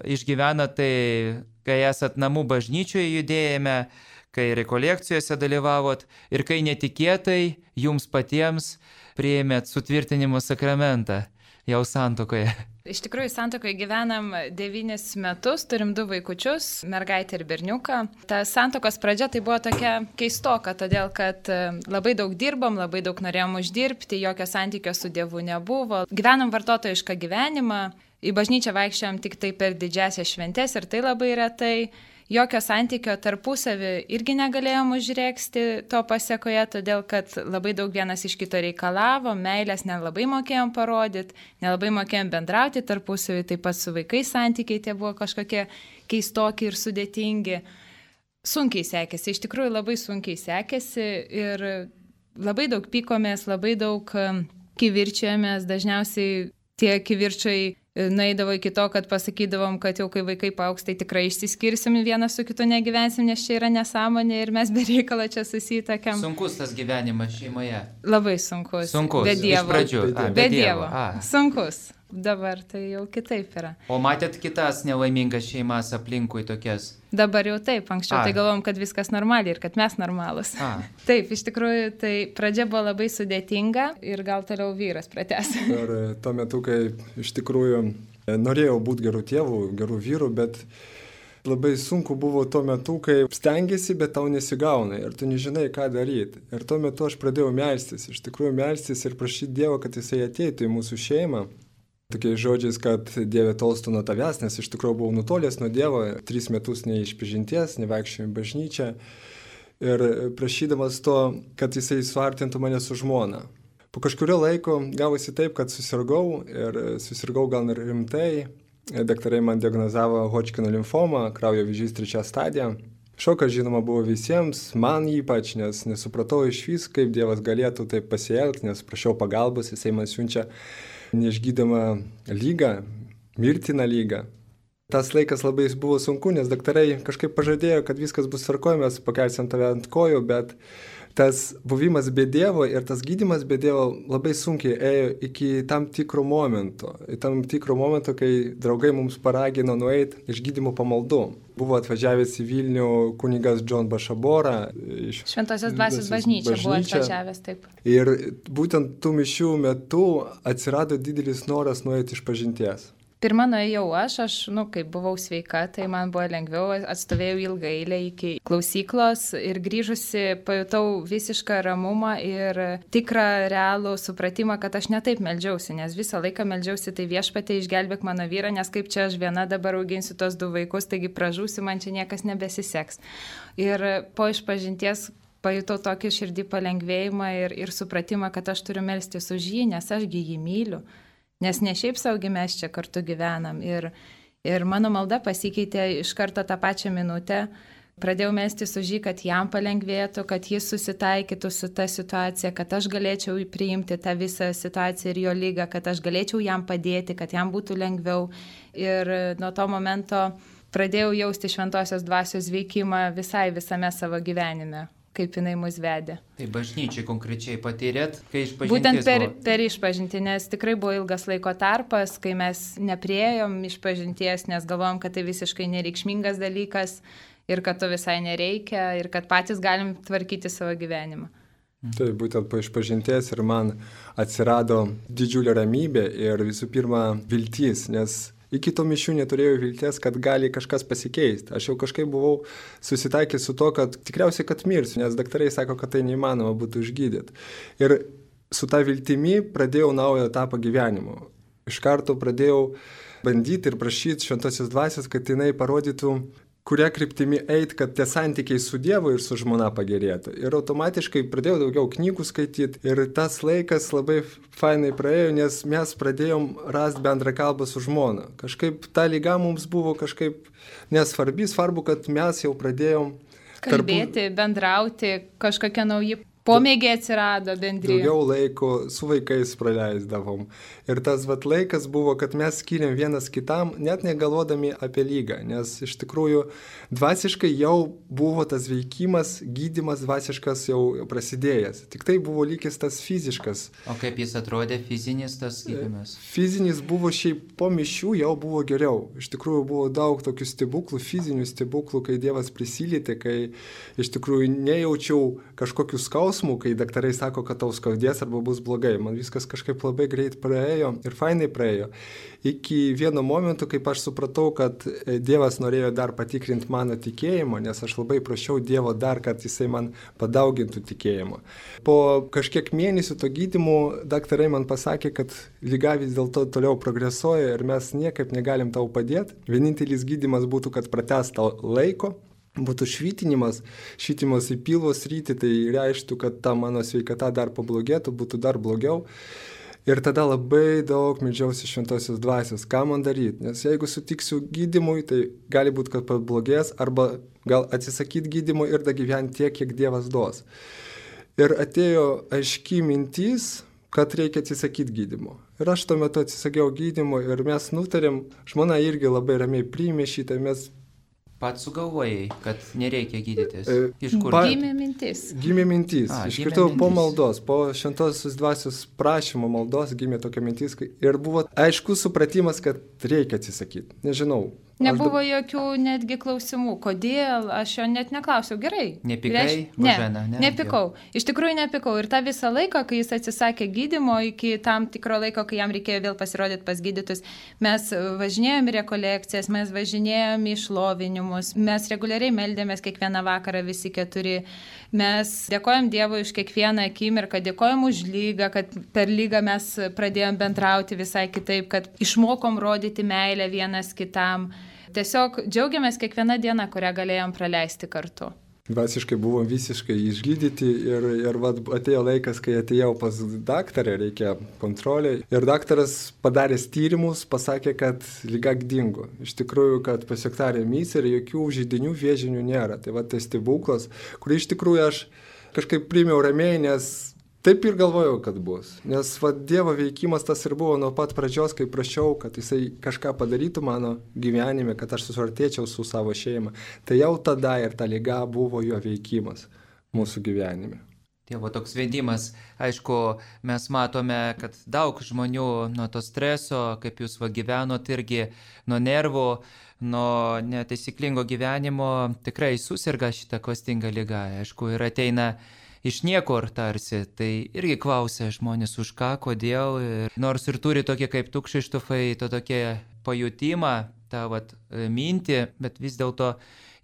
Speaker 1: išgyvena tai, kai esat namų bažnyčioje judėjime, kai rekolekcijose dalyvavot ir kai netikėtai jums patiems priėmėt sutvirtinimo sakramentą jau santuokoje.
Speaker 4: Iš tikrųjų, santuokoje gyvenam devynis metus, turim du vaikučius, mergaitę ir berniuką. Ta santuokos pradžia tai buvo tokia keistoka, todėl kad labai daug dirbom, labai daug norėjom uždirbti, jokio santykio su Dievu nebuvo. Gyvenom vartotojišką gyvenimą, į bažnyčią vaikščiojom tik tai per didžiasias šventes ir tai labai retai. Jokio santykio tarpusavį irgi negalėjom užrėksti to pasiekoje, todėl kad labai daug vienas iš kito reikalavo, meilės nelabai mokėjom parodyti, nelabai mokėjom bendrauti tarpusavį, taip pat su vaikais santykiai tie buvo kažkokie keistoki ir sudėtingi. Sunkiai sekėsi, iš tikrųjų labai sunkiai sekėsi ir labai daug pykomės, labai daug kivirčiojomės, dažniausiai tie kivirčiai nueidavo iki to, kad pasakydavom, kad jau kai vaikai paaugs, tai tikrai išsiskirsim, vienas su kitu negyvensim, nes čia yra nesąmonė ir mes be reikalo čia susitakiam.
Speaker 1: Sunkus tas gyvenimas šeimoje?
Speaker 4: Labai sunkus.
Speaker 1: Sunkus,
Speaker 4: be Dievo.
Speaker 1: Iš pradžių. A,
Speaker 4: be, be Dievo. Dievo. Sunkus. Dabar tai jau kitaip yra.
Speaker 1: O matėt kitas nelaimingas šeimas aplinkui tokias?
Speaker 4: Dabar jau taip, anksčiau A. tai galvom, kad viskas normaliai ir kad mes normalus. A. Taip, iš tikrųjų, tai pradžia buvo labai sudėtinga ir gal toliau vyras pratęs.
Speaker 5: Ir tuo metu, kai iš tikrųjų norėjau būti gerų tėvų, gerų vyrų, bet labai sunku buvo tuo metu, kai stengiasi, bet tau nesigauna ir tu nežinai, ką daryti. Ir tuo metu aš pradėjau melstis, iš tikrųjų melstis ir prašyti Dievo, kad Jisai ateitų į mūsų šeimą. Tokiais žodžiais, kad Dieve tolstu nuo tavęs, nes iš tikrųjų buvau nutolęs nuo Dievo, tris metus neišpažinties, nevaikščiojau į bažnyčią ir prašydamas to, kad Jisai suartintų mane su žmona. Po kažkurio laiko gavosi taip, kad susirgau ir susirgau gal ir rimtai. Daktarai man diagnozavo Hodžkino limfomą, kraujo vėžys trečia stadija. Šokas, žinoma, buvo visiems, man ypač, nes nesupratau iš vis, kaip Dievas galėtų taip pasielgti, nes prašiau pagalbos, Jisai man siunčia neišgydoma lyga, mirtina lyga. Tas laikas labai buvo sunku, nes daktarai kažkaip pažadėjo, kad viskas bus tvarkoj, mes pakelsim tave ant kojų, bet tas buvimas be Dievo ir tas gydymas be Dievo labai sunkiai ėjo iki tam tikro momento. Į tam tikro momento, kai draugai mums paragino nueiti iš gydymo pamaldų. Buvo atvažiavęs į Vilnių kunigas John Bašabora. Iš
Speaker 4: Šventosios dvasios bažnyčia buvo atvažiavęs, taip.
Speaker 5: Ir būtent tų mišių metu atsirado didelis noras nueiti iš pažinties.
Speaker 4: Pirma nuėjau aš, aš, nu, kai buvau sveika, tai man buvo lengviau, atstovėjau ilgą eilę iki klausyklos ir grįžusi pajutau visišką ramumą ir tikrą realų supratimą, kad aš netaip meldžiausi, nes visą laiką meldžiausi, tai Viešpatie išgelbėk mano vyrą, nes kaip čia aš viena dabar auginsiu tos du vaikus, taigi pražūsiu, man čia niekas nebesiseks. Ir po išpažinties pajutau tokį širdį palengvėjimą ir, ir supratimą, kad aš turiu melstis už jį, nes ašgi jį myliu. Nes ne šiaip saugi mes čia kartu gyvenam. Ir, ir mano malda pasikeitė iš karto tą pačią minutę. Pradėjau melstis už jį, kad jam palengvėtų, kad jis susitaikytų su ta situacija, kad aš galėčiau priimti tą visą situaciją ir jo lygą, kad aš galėčiau jam padėti, kad jam būtų lengviau. Ir nuo to momento pradėjau jausti šventosios dvasios veikimą visai visame savo gyvenime, kaip jinai mus vedė.
Speaker 1: Tai bažnyčiai konkrečiai patyrėt, kai išpažinties
Speaker 4: Būtent per,
Speaker 1: buvo?
Speaker 4: per išpažinti, nes tikrai buvo ilgas laiko tarpas, kai mes nepriejom išpažinties, nes galvojom, kad tai visiškai nereikšmingas dalykas ir kad to visai nereikia ir kad patys galim tvarkyti savo gyvenimą.
Speaker 5: Tai būtent po išpažinties ir man atsirado didžiulė ramybė ir visų pirma viltis, nes iki to mišių neturėjau vilties, kad gali kažkas pasikeisti. Aš jau kažkaip buvau susitaikęs su to, kad tikriausiai, kad mirsiu, nes daktarai sako, kad tai neįmanoma būtų išgydyti. Ir su ta viltimi pradėjau naują etapą gyvenimo. Iš karto pradėjau bandyti ir prašyti šventosios dvasios, kad jinai parodytų, kuria kryptimi eit, kad tie santykiai su Dievu ir su žmona pagerėtų. Ir automatiškai pradėjau daugiau knygų skaityti ir tas laikas labai fainai praėjo, nes mes pradėjom rasti bendrą kalbą su žmona. Kažkaip ta lyga mums buvo kažkaip nesvarbi, svarbu, kad mes jau pradėjom
Speaker 4: kalbėti, tarpu... bendrauti, kažkokie nauji Pomėgiai atsirado bendri.
Speaker 5: Daugiau laiko su vaikais praleisdavom. Ir tas vat laikas buvo, kad mes skiriam vienas kitam, net negalvodami apie lygą, nes iš tikrųjų dvasiškai jau buvo tas veikimas, gydymas dvasiškas jau prasidėjęs. Tik tai buvo lygis tas fiziškas.
Speaker 1: O kaip jis atrodė fizinis tas gydymas?
Speaker 5: Fizinis buvo šiaip po mišių jau buvo geriau. Iš tikrųjų buvo daug tokių stebuklų, fizinių stebuklų, kai Dievas prisilietė, kai iš tikrųjų nejaučiau kažkokių skausmų, kai daktarai sako, kad tau skaudės arba bus blogai. Man viskas kažkaip labai greit praėjo ir fainai praėjo. Iki vieno momento, kaip aš supratau, kad Dievas norėjo dar patikrinti mano tikėjimą, nes aš labai prašiau Dievo dar, kad jisai man padaugintų tikėjimą. Po kažkiek mėnesių to gydymo daktarai man pasakė, kad liga vis dėlto toliau progresuoja ir mes niekaip negalim tau padėti. Vienintelis gydymas būtų, kad pratęsta laiko. Būtų švitinimas, švitimas į pilvo sritį, tai reikštų, kad ta mano sveikata dar pablogėtų, būtų dar blogiau. Ir tada labai daug meldžiausi šventosios dvasios, ką man daryti. Nes jeigu sutiksiu gydymui, tai gali būti, kad pablogės, arba gal atsisakyti gydymui ir da gyventi tiek, kiek Dievas duos. Ir atėjo aiški mintis, kad reikia atsisakyti gydymo. Ir aš tuo metu atsisakiau gydymo ir mes nutarėm, žmona irgi labai ramiai priėmė šitą, mes
Speaker 1: Pats sugalvojai, kad nereikia gydytis. Iš kur?
Speaker 5: Pa...
Speaker 4: Gimė mintis.
Speaker 5: Gimė mintis.
Speaker 1: A,
Speaker 5: Iškirtau
Speaker 1: gimė
Speaker 5: po
Speaker 1: mintis.
Speaker 5: maldos, po šventosios dvasios prašymo maldos gimė tokia mintis. Ir buvo aiškus supratimas, kad reikia atsisakyti. Nežinau.
Speaker 4: Nebuvo jokių netgi klausimų, kodėl, aš jo net neklausiau, gerai.
Speaker 1: Nepikai,
Speaker 4: Reiš-
Speaker 1: Božena, ne?
Speaker 4: nepikau. Iš tikrųjų nepikau. Ir tą visą laiką, kai jis atsisakė gydymo, iki tam tikro laiko, kai jam reikėjo vėl pasirodyti pas gydytus, mes važinėjom į rekolekcijas, mes važinėjom į šlovinimus, mes reguliariai meldėmės kiekvieną vakarą visi keturi. Mes dėkojom Dievui už kiekvieną akimirką, dėkojom už lygą, kad per lygą mes pradėjom bendrauti visai kitaip, kad išmokom rodyti meilę vienas kitam. Tiesiog džiaugiamės kiekvieną dieną, kurią galėjom praleisti kartu.
Speaker 5: Dvasiškai buvom visiškai išgydyti ir, ir vat, atėjo laikas, kai atėjau pas daktarę, reikia kontrolė. Ir daktaras padaręs tyrimus pasakė, kad liga dingo. Iš tikrųjų, kad pasiekta remisija ir jokių židinių vėžinių nėra. Tai va tai stebuklas, kurį iš tikrųjų aš kažkaip priėmiau ramiai, nes taip ir galvojau, kad bus. Nes va, Dievo veikimas tas ir buvo nuo pat pradžios, kai prašiau, kad jisai kažką padarytų mano gyvenime, kad aš susiartėčiau su savo šeima. Tai jau tada ir ta liga buvo jo veikimas mūsų gyvenime.
Speaker 1: Dievo toks vedimas, aišku, mes matome, kad daug žmonių nuo to streso, kaip jūs va gyvenot irgi, nuo nervų, nuo netaisyklingo gyvenimo, tikrai susirga šitą klastingą ligą. Aišku, ir ateina iš niekur tarsi, tai irgi klausia žmonės už ką, kodėl, ir nors ir turi tokie kaip tu, Kšištofai, to tokie pajutimą, tą vat, mintį, bet vis dėlto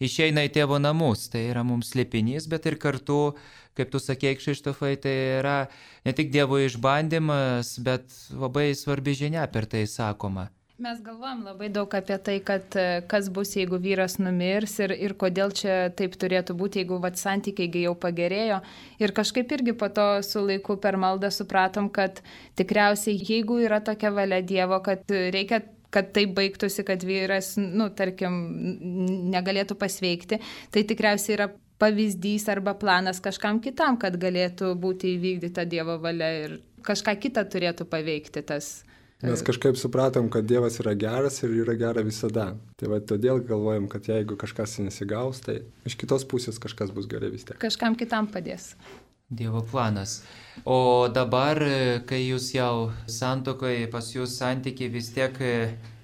Speaker 1: išeina į tėvo namus, tai yra mums slėpinys, bet ir kartu, kaip tu sakei, Kšištofai, tai yra ne tik Dievo išbandymas, bet labai svarbi žinia per tai sakoma.
Speaker 4: Mes galvojam labai daug apie tai, kad kas bus, jeigu vyras numirs ir, ir kodėl čia taip turėtų būti, jeigu vat, santykiai jau pagerėjo. Ir kažkaip irgi po to su laiku per maldą supratom, kad tikriausiai jeigu yra tokia valia Dievo, kad reikia, kad tai baigtųsi, kad vyras, nu, tarkim, negalėtų pasveikti, tai tikriausiai yra pavyzdys arba planas kažkam kitam, kad galėtų būti įvykdyta Dievo valia ir kažką kitą turėtų paveikti tas.
Speaker 5: Mes kažkaip supratom, kad Dievas yra geras ir yra gera visada. Tai va todėl galvojam, kad jeigu kažkas nesigaus, tai iš kitos pusės kažkas bus gerai vis tiek.
Speaker 4: Kažkam kitam padės.
Speaker 1: Dievo planas. O dabar, kai jūs jau santuokoje, pas jūs santykiai vis tiek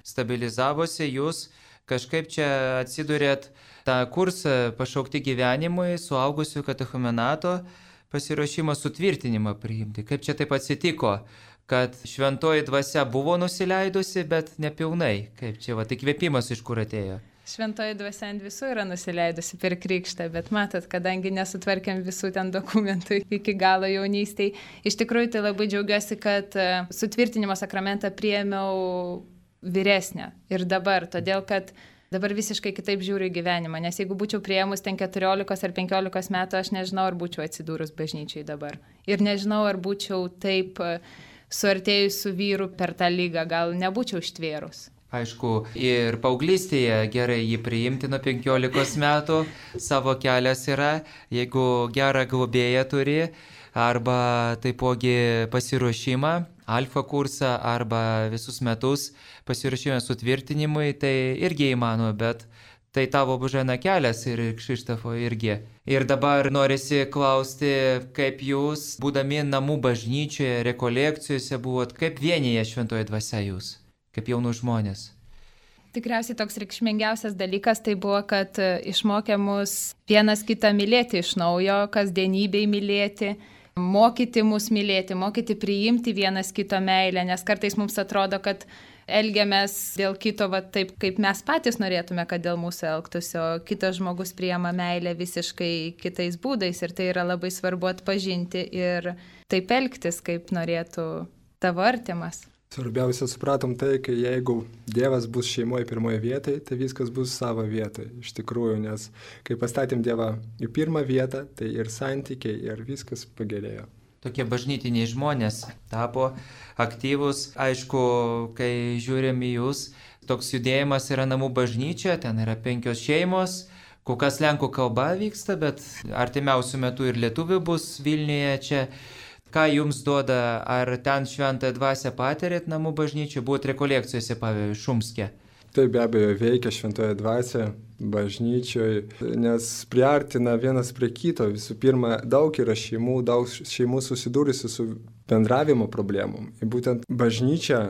Speaker 1: stabilizavosi, jūs kažkaip čia atsidurėt tą kursą pašaukti gyvenimui, suaugusių katechumenato pasiruošimą sutvirtinimą priimti. Kaip čia taip atsitiko, kad šventoji dvasia buvo nusileidusi, bet nepilnai. Kaip čia, va, įkvėpimas iš kur atėjo?
Speaker 4: Šventoji dvasia ant visų yra nusileidusi per krikštą, bet matot, kadangi nesutvarkėm visų ten dokumentų iki galo jaunystėj, iš tikrųjų tai labai džiaugiuosi, kad sutvirtinimo sakramentą priėmiau vyresnę ir dabar, todėl kad dabar visiškai kitaip žiūriu į gyvenimą, nes jeigu būčiau priėmus ten keturiolikos ar penkiolikos metų, aš nežinau, ar būčiau atsidūrus bažnyčiai dabar. Ir nežinau, ar būčiau taip suartėjus su vyru per tą lygą, gal nebūčiau ištvėrus.
Speaker 1: Aišku, ir paauglystėje gerai jį priimti nuo penkiolikos metų, savo kelias yra, jeigu gerą globėją turi, arba taipogi pasiruošimą, alfa kursą, arba visus metus pasiruošimą sutvirtinimui, tai irgi įmanoma, bet tai tavo Božena kelias ir Kšištofo irgi. Ir dabar norisi klausti, kaip jūs, būdami namų bažnyčioje, rekolekcijose buvot, kaip vienyje šventoji dvasia jūs? Kaip jaunų žmonės.
Speaker 4: Tikriausiai toks reikšmingiausias dalykas tai buvo, kad išmokė mus vienas kitą mylėti iš naujo, kasdienybėj mylėti, mokyti mus mylėti, mokyti priimti vienas kito meilę, nes kartais mums atrodo, kad elgiamės dėl kito va, taip, kaip mes patys norėtume, kad dėl mūsų elgtųsi, o kitas žmogus priima meilę visiškai kitais būdais ir tai yra labai svarbu atpažinti ir taip elgtis, kaip norėtų tavo artimas.
Speaker 5: Svarbiausia supratom tai, kai jeigu Dievas bus šeimoje pirmoje vietoje, tai viskas bus savo vietoje, iš tikrųjų, nes kai pastatėm Dievą į pirmą vietą, tai ir santykiai, ir viskas pagerėjo.
Speaker 1: Tokie bažnytiniai žmonės tapo aktyvus, aišku, kai žiūrim į jūs, toks judėjimas yra namų bažnyčia, ten yra penkios šeimos, kol kas lenkų kalba vyksta, bet artimiausių metų ir lietuvių bus Vilniuje čia. Ką jums duoda, ar ten šventąją dvasią patirėt namų bažnyčių, buvot rekolekcijose, pavyzdžiui, Šumske?
Speaker 5: Tai be abejo veikia šventoji dvasia bažnyčioje, nes priartina vienas prie kito. Visų pirma, daug yra šeimų, daug šeimų susidūrusi su bendravimo problemom. Ir būtent bažnyčia,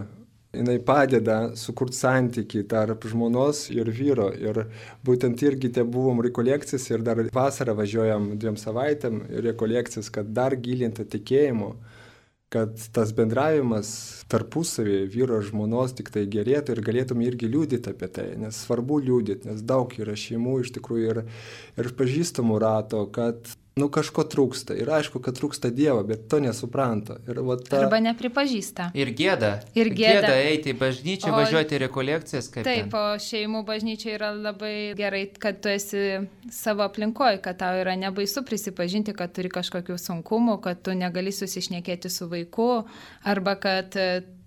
Speaker 5: jinai padeda sukurti santykį tarp žmonos ir vyro. Ir būtent irgi te buvom rekolekcijas ir dar vasarą važiuojam dviem savaitėm rekolekcijas, kad dar gilinti tikėjimo, kad tas bendravimas tarpusavį vyro ir žmonos tik tai gerėtų ir galėtum irgi liūdyti apie tai, nes svarbu liūdyti, nes daug yra šeimų iš tikrųjų ir, ir pažįstamų rato, kad nu kažko trūksta. Ir aišku, kad trūksta Dievo, bet to nesupranta. Ir va ta...
Speaker 4: Arba nepripažįsta.
Speaker 1: Ir gėda.
Speaker 4: Ir gėda.
Speaker 1: Gėda eiti į bažnyčią, o... važiuoti į rekolekcijas. Kaip
Speaker 4: taip,
Speaker 1: ten.
Speaker 4: O šeimų bažnyčia yra labai gerai, kad tu esi savo aplinkoje, kad tau yra nebaisu prisipažinti, kad turi kažkokių sunkumų, kad tu negali susišnekėti su vaiku, arba kad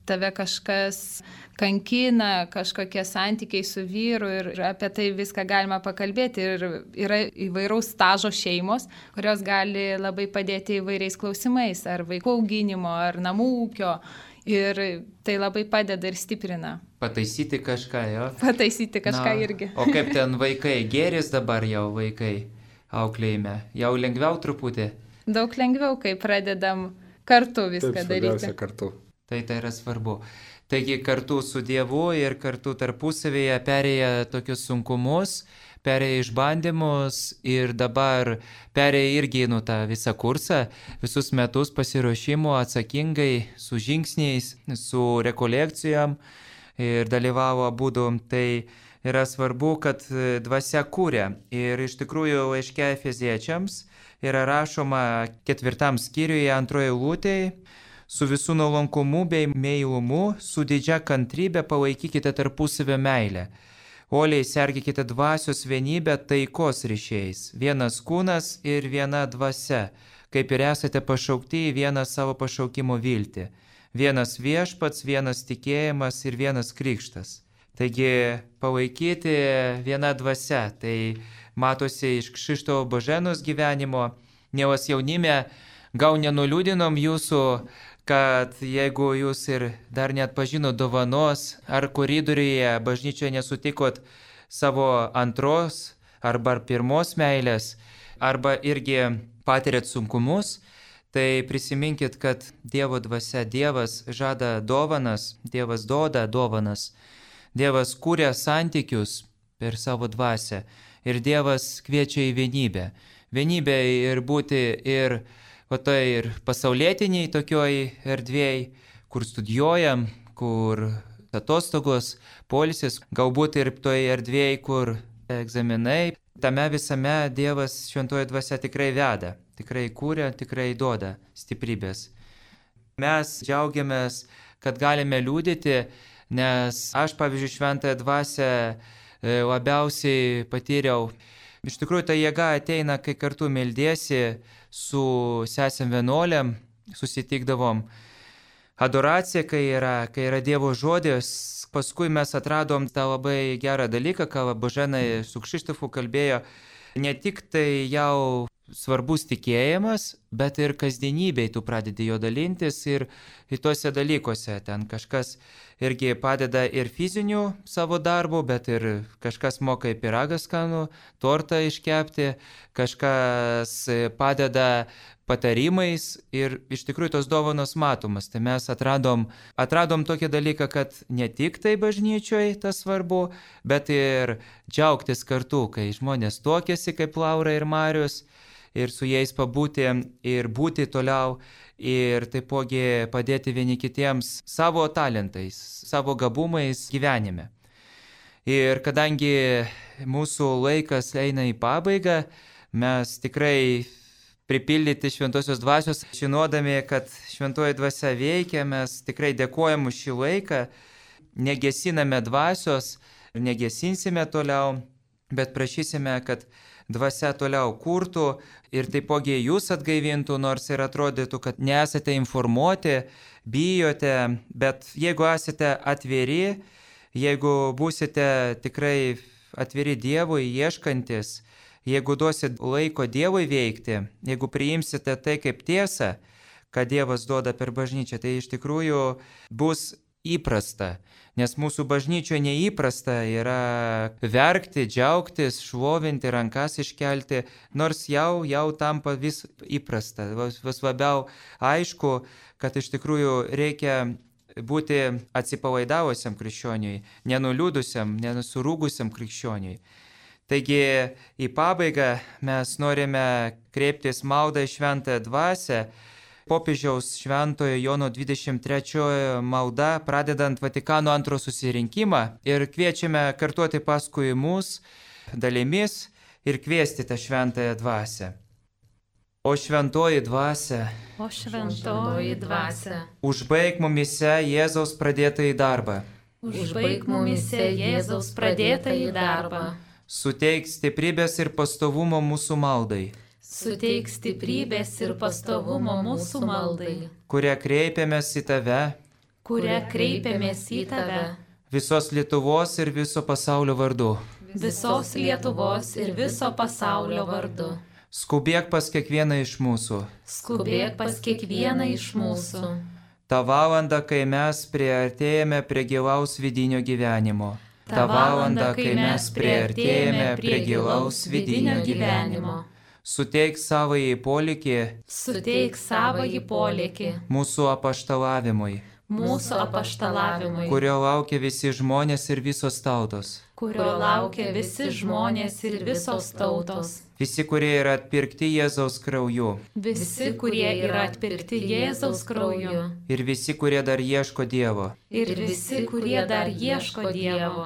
Speaker 4: tave kažkas kankina, kažkokie santykiai su vyru ir apie tai viską galima pakalbėti. Ir yra įvairaus stažo šeimos, kurios gali labai padėti įvairiais klausimais, ar vaikų auginimo, ar namų ūkio. Ir tai labai padeda ir stiprina.
Speaker 1: Pataisyti kažką, jo?
Speaker 4: Pataisyti kažką Na, irgi.
Speaker 1: O kaip ten vaikai, gėris dabar jau vaikai auklėjime? Jau lengviau truputį?
Speaker 4: Daug lengviau, kai pradedam kartu viską
Speaker 5: Taip,
Speaker 4: daryti.
Speaker 5: Kartu.
Speaker 1: Tai tai yra svarbu. Taigi kartu su Dievu ir kartu tarpusavėje perėję tokius sunkumus, perėję išbandymus ir dabar perėję irgi nu tą visą kursą, visus metus pasiruošimo atsakingai, su žingsniais, su rekolekcijom ir dalyvavo abudu. Tai yra svarbu, kad dvasia kūrė. Ir iš tikrųjų laiške Efeziečiams yra rašoma ketvirtam skyriuje antroje eilutėje: su visų nuolankumu bei meilumu, su didžia kantrybė palaikykite tarpusavio meilę. Uoliai sergėkite dvasios vienybę taikos ryšiais, vienas kūnas ir viena dvasia, kaip ir esate pašaukti į vieną savo pašaukimo viltį. Vienas viešpats, vienas tikėjimas ir vienas krikštas. Taigi palaikyti viena dvasia, tai matosi iš Kšištofo Boženos gyvenimo. Mielas jaunime, gal nenuliūdinom jūsų, kad jeigu jūs ir dar net pažino dovanos, ar koridoriuje bažnyčioje nesutikot savo antros arba pirmos meilės, arba irgi patirėt sunkumus, tai prisiminkit, kad Dievo dvasia, Dievas žada dovanas, Dievas duoda dovanas, Dievas kūrė santykius per savo dvasią ir Dievas kviečia į vienybę. Vienybę ir būti ir o tai ir pasaulietiniai tokioj erdvėj, kur studijuojam, kur atostogos, poilsis, galbūt ir toj erdvėj, kur egzaminai. Tame visame Dievas šventoji dvasia tikrai veda, tikrai kūrė, tikrai duoda stiprybės. Mes džiaugiamės, kad galime liūdėti, nes aš, pavyzdžiui, šventąją dvasią labiausiai patyriau. Iš tikrųjų, ta jėga ateina, kai kartu meldiesi su sesėm vienuolėm, susitikdavom. adoracija, kai yra, kai yra Dievo žodis. Paskui mes atradom tą labai gerą dalyką, ką Boženai su Kšištofu kalbėjo. Ne tik tai jau svarbus tikėjimas, bet ir kasdienybėj tu pradedi jo dalintis ir į tuose dalykuose. Ten kažkas irgi padeda ir fizinių savo darbų, bet ir kažkas moka į pyragą skanų, tortą iškepti, kažkas padeda patarimais ir iš tikrųjų tos dovanos matomas. Tai mes atradom, atradom tokį dalyką, kad ne tik tai bažnyčioje tas svarbu, bet ir džiaugtis kartu, kai žmonės tuokiasi kaip Laura ir Marius, ir su jais pabūti ir būti toliau ir taipogi padėti vieni kitiems savo talentais, savo gabumais gyvenime. Ir kadangi mūsų laikas eina į pabaigą, mes tikrai pripildyti šventosios dvasios, žinodami, kad šventoji dvasia veikia, mes tikrai dėkojam už šį laiką, negesiname dvasios ir negesinsime toliau, bet prašysime, kad dvasia toliau kurtų ir taipogi jūs atgaivintų, nors ir atrodytų, kad nesate informuoti, bijote, bet jeigu esate atviri, jeigu būsite tikrai atviri Dievui, ieškantis, jeigu duosit laiko Dievui veikti, jeigu priimsite tai kaip tiesą, ką Dievas duoda per bažnyčią, tai iš tikrųjų bus įprasta. Nes mūsų bažnyčioje neįprasta yra verkti, džiaugtis, šlovinti, rankas iškelti, nors jau, jau tampa vis įprasta. Vis labiau aišku, kad iš tikrųjų reikia būti atsipalaidavusiam krikščioniui, nenuliūdusiam, nenusurūgusiam krikščioniui. Taigi į pabaigą mes norime kreiptis maldą į šventąją dvasią, popiežiaus šventojo Jono dvidešimt trečiojo malda, pradedant Vatikano antrojo susirinkimą ir kviečiame kartuoti paskui mus dalimis ir kviesti tą šventąją dvasią. O šventoji dvasia,
Speaker 2: O šventoji dvasia,
Speaker 1: užbaik mumise Jėzaus pradėtąjį darbą.
Speaker 2: užbaik mumise Jėzaus pradėtąjį darbą.
Speaker 1: Suteik stiprybės ir pastovumo mūsų maldai,
Speaker 2: Suteik stiprybės ir pastovumo mūsų maldai,
Speaker 1: kuria kreipiamės į tave,
Speaker 2: kuria kreipiamės į tave,
Speaker 1: visos Lietuvos ir viso pasaulio vardu.
Speaker 2: visos Lietuvos ir viso pasaulio vardu.
Speaker 1: Skubėk pas kiekvieną iš mūsų.
Speaker 2: Skubėk pas kiekvieną iš mūsų.
Speaker 1: Ta valanda, kai mes priartėjame prie gilaus vidinio gyvenimo.
Speaker 2: Ta valanda, kai mes priartėjame prie gilaus vidinio gyvenimo.
Speaker 1: Suteik savąjį polėkį
Speaker 2: Suteik savąjį polėkį
Speaker 1: mūsų apaštalavimui,
Speaker 2: mūsų apaštalavimui,
Speaker 1: kurio laukia visi žmonės ir visos tautos.
Speaker 2: kurio laukia visi žmonės ir visos tautos.
Speaker 1: Visi, kurie yra atpirkti Jėzaus krauju.
Speaker 2: Visi, kurie yra atpirkti Jėzaus krauju.
Speaker 1: Ir visi, kurie dar ieško Dievo.
Speaker 2: Ir visi, kurie dar ieško Dievo.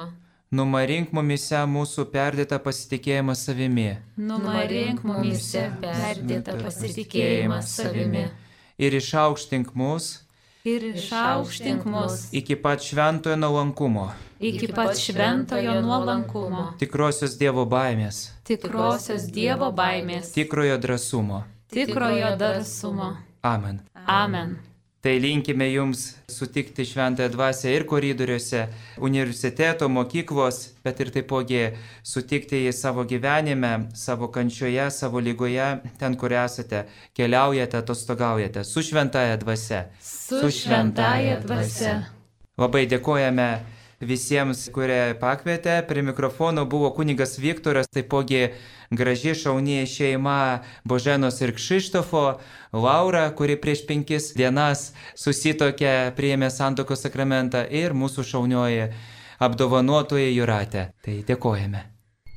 Speaker 1: Numarink mumise mūsų perdėtą pasitikėjimą savimi.
Speaker 2: Numarink mumise perdėtą pasitikėjimą savimi.
Speaker 1: Ir išaukštink mus
Speaker 2: Ir išaukštink mus
Speaker 1: iki pat šventojo nuolankumo,
Speaker 2: iki pat šventojo nuolankumo,
Speaker 1: tikrosios Dievo baimės,
Speaker 2: tikrosios Dievo baimės,
Speaker 1: tikrojo drąsumo.
Speaker 2: tikrojo darsumo.
Speaker 1: Amen.
Speaker 2: Amen.
Speaker 1: Tai linkime jums sutikti šventąją dvasią ir koridoriuose, universiteto, mokyklos, bet ir taipogi sutikti į savo gyvenime, savo kančioje, savo lygoje, ten, kur esate, keliaujate, atostogaujate, su šventąja dvasia.
Speaker 2: Su šventąja dvasia.
Speaker 1: Labai dėkojame visiems, kurie pakvietė. Prie mikrofono buvo kunigas Viktoras, taipogi graži šauni šeima Boženos ir Kšištofo, Laura, kuri prieš penkis dienas susitokė, priėmė santuokos sakramentą, ir mūsų šaunioji apdovanotoja Jūratė. Tai dėkojame.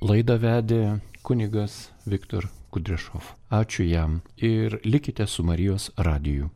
Speaker 6: Laidą vedė kunigas Viktor Kudryšov. Ačiū jam ir likite su Marijos radiju.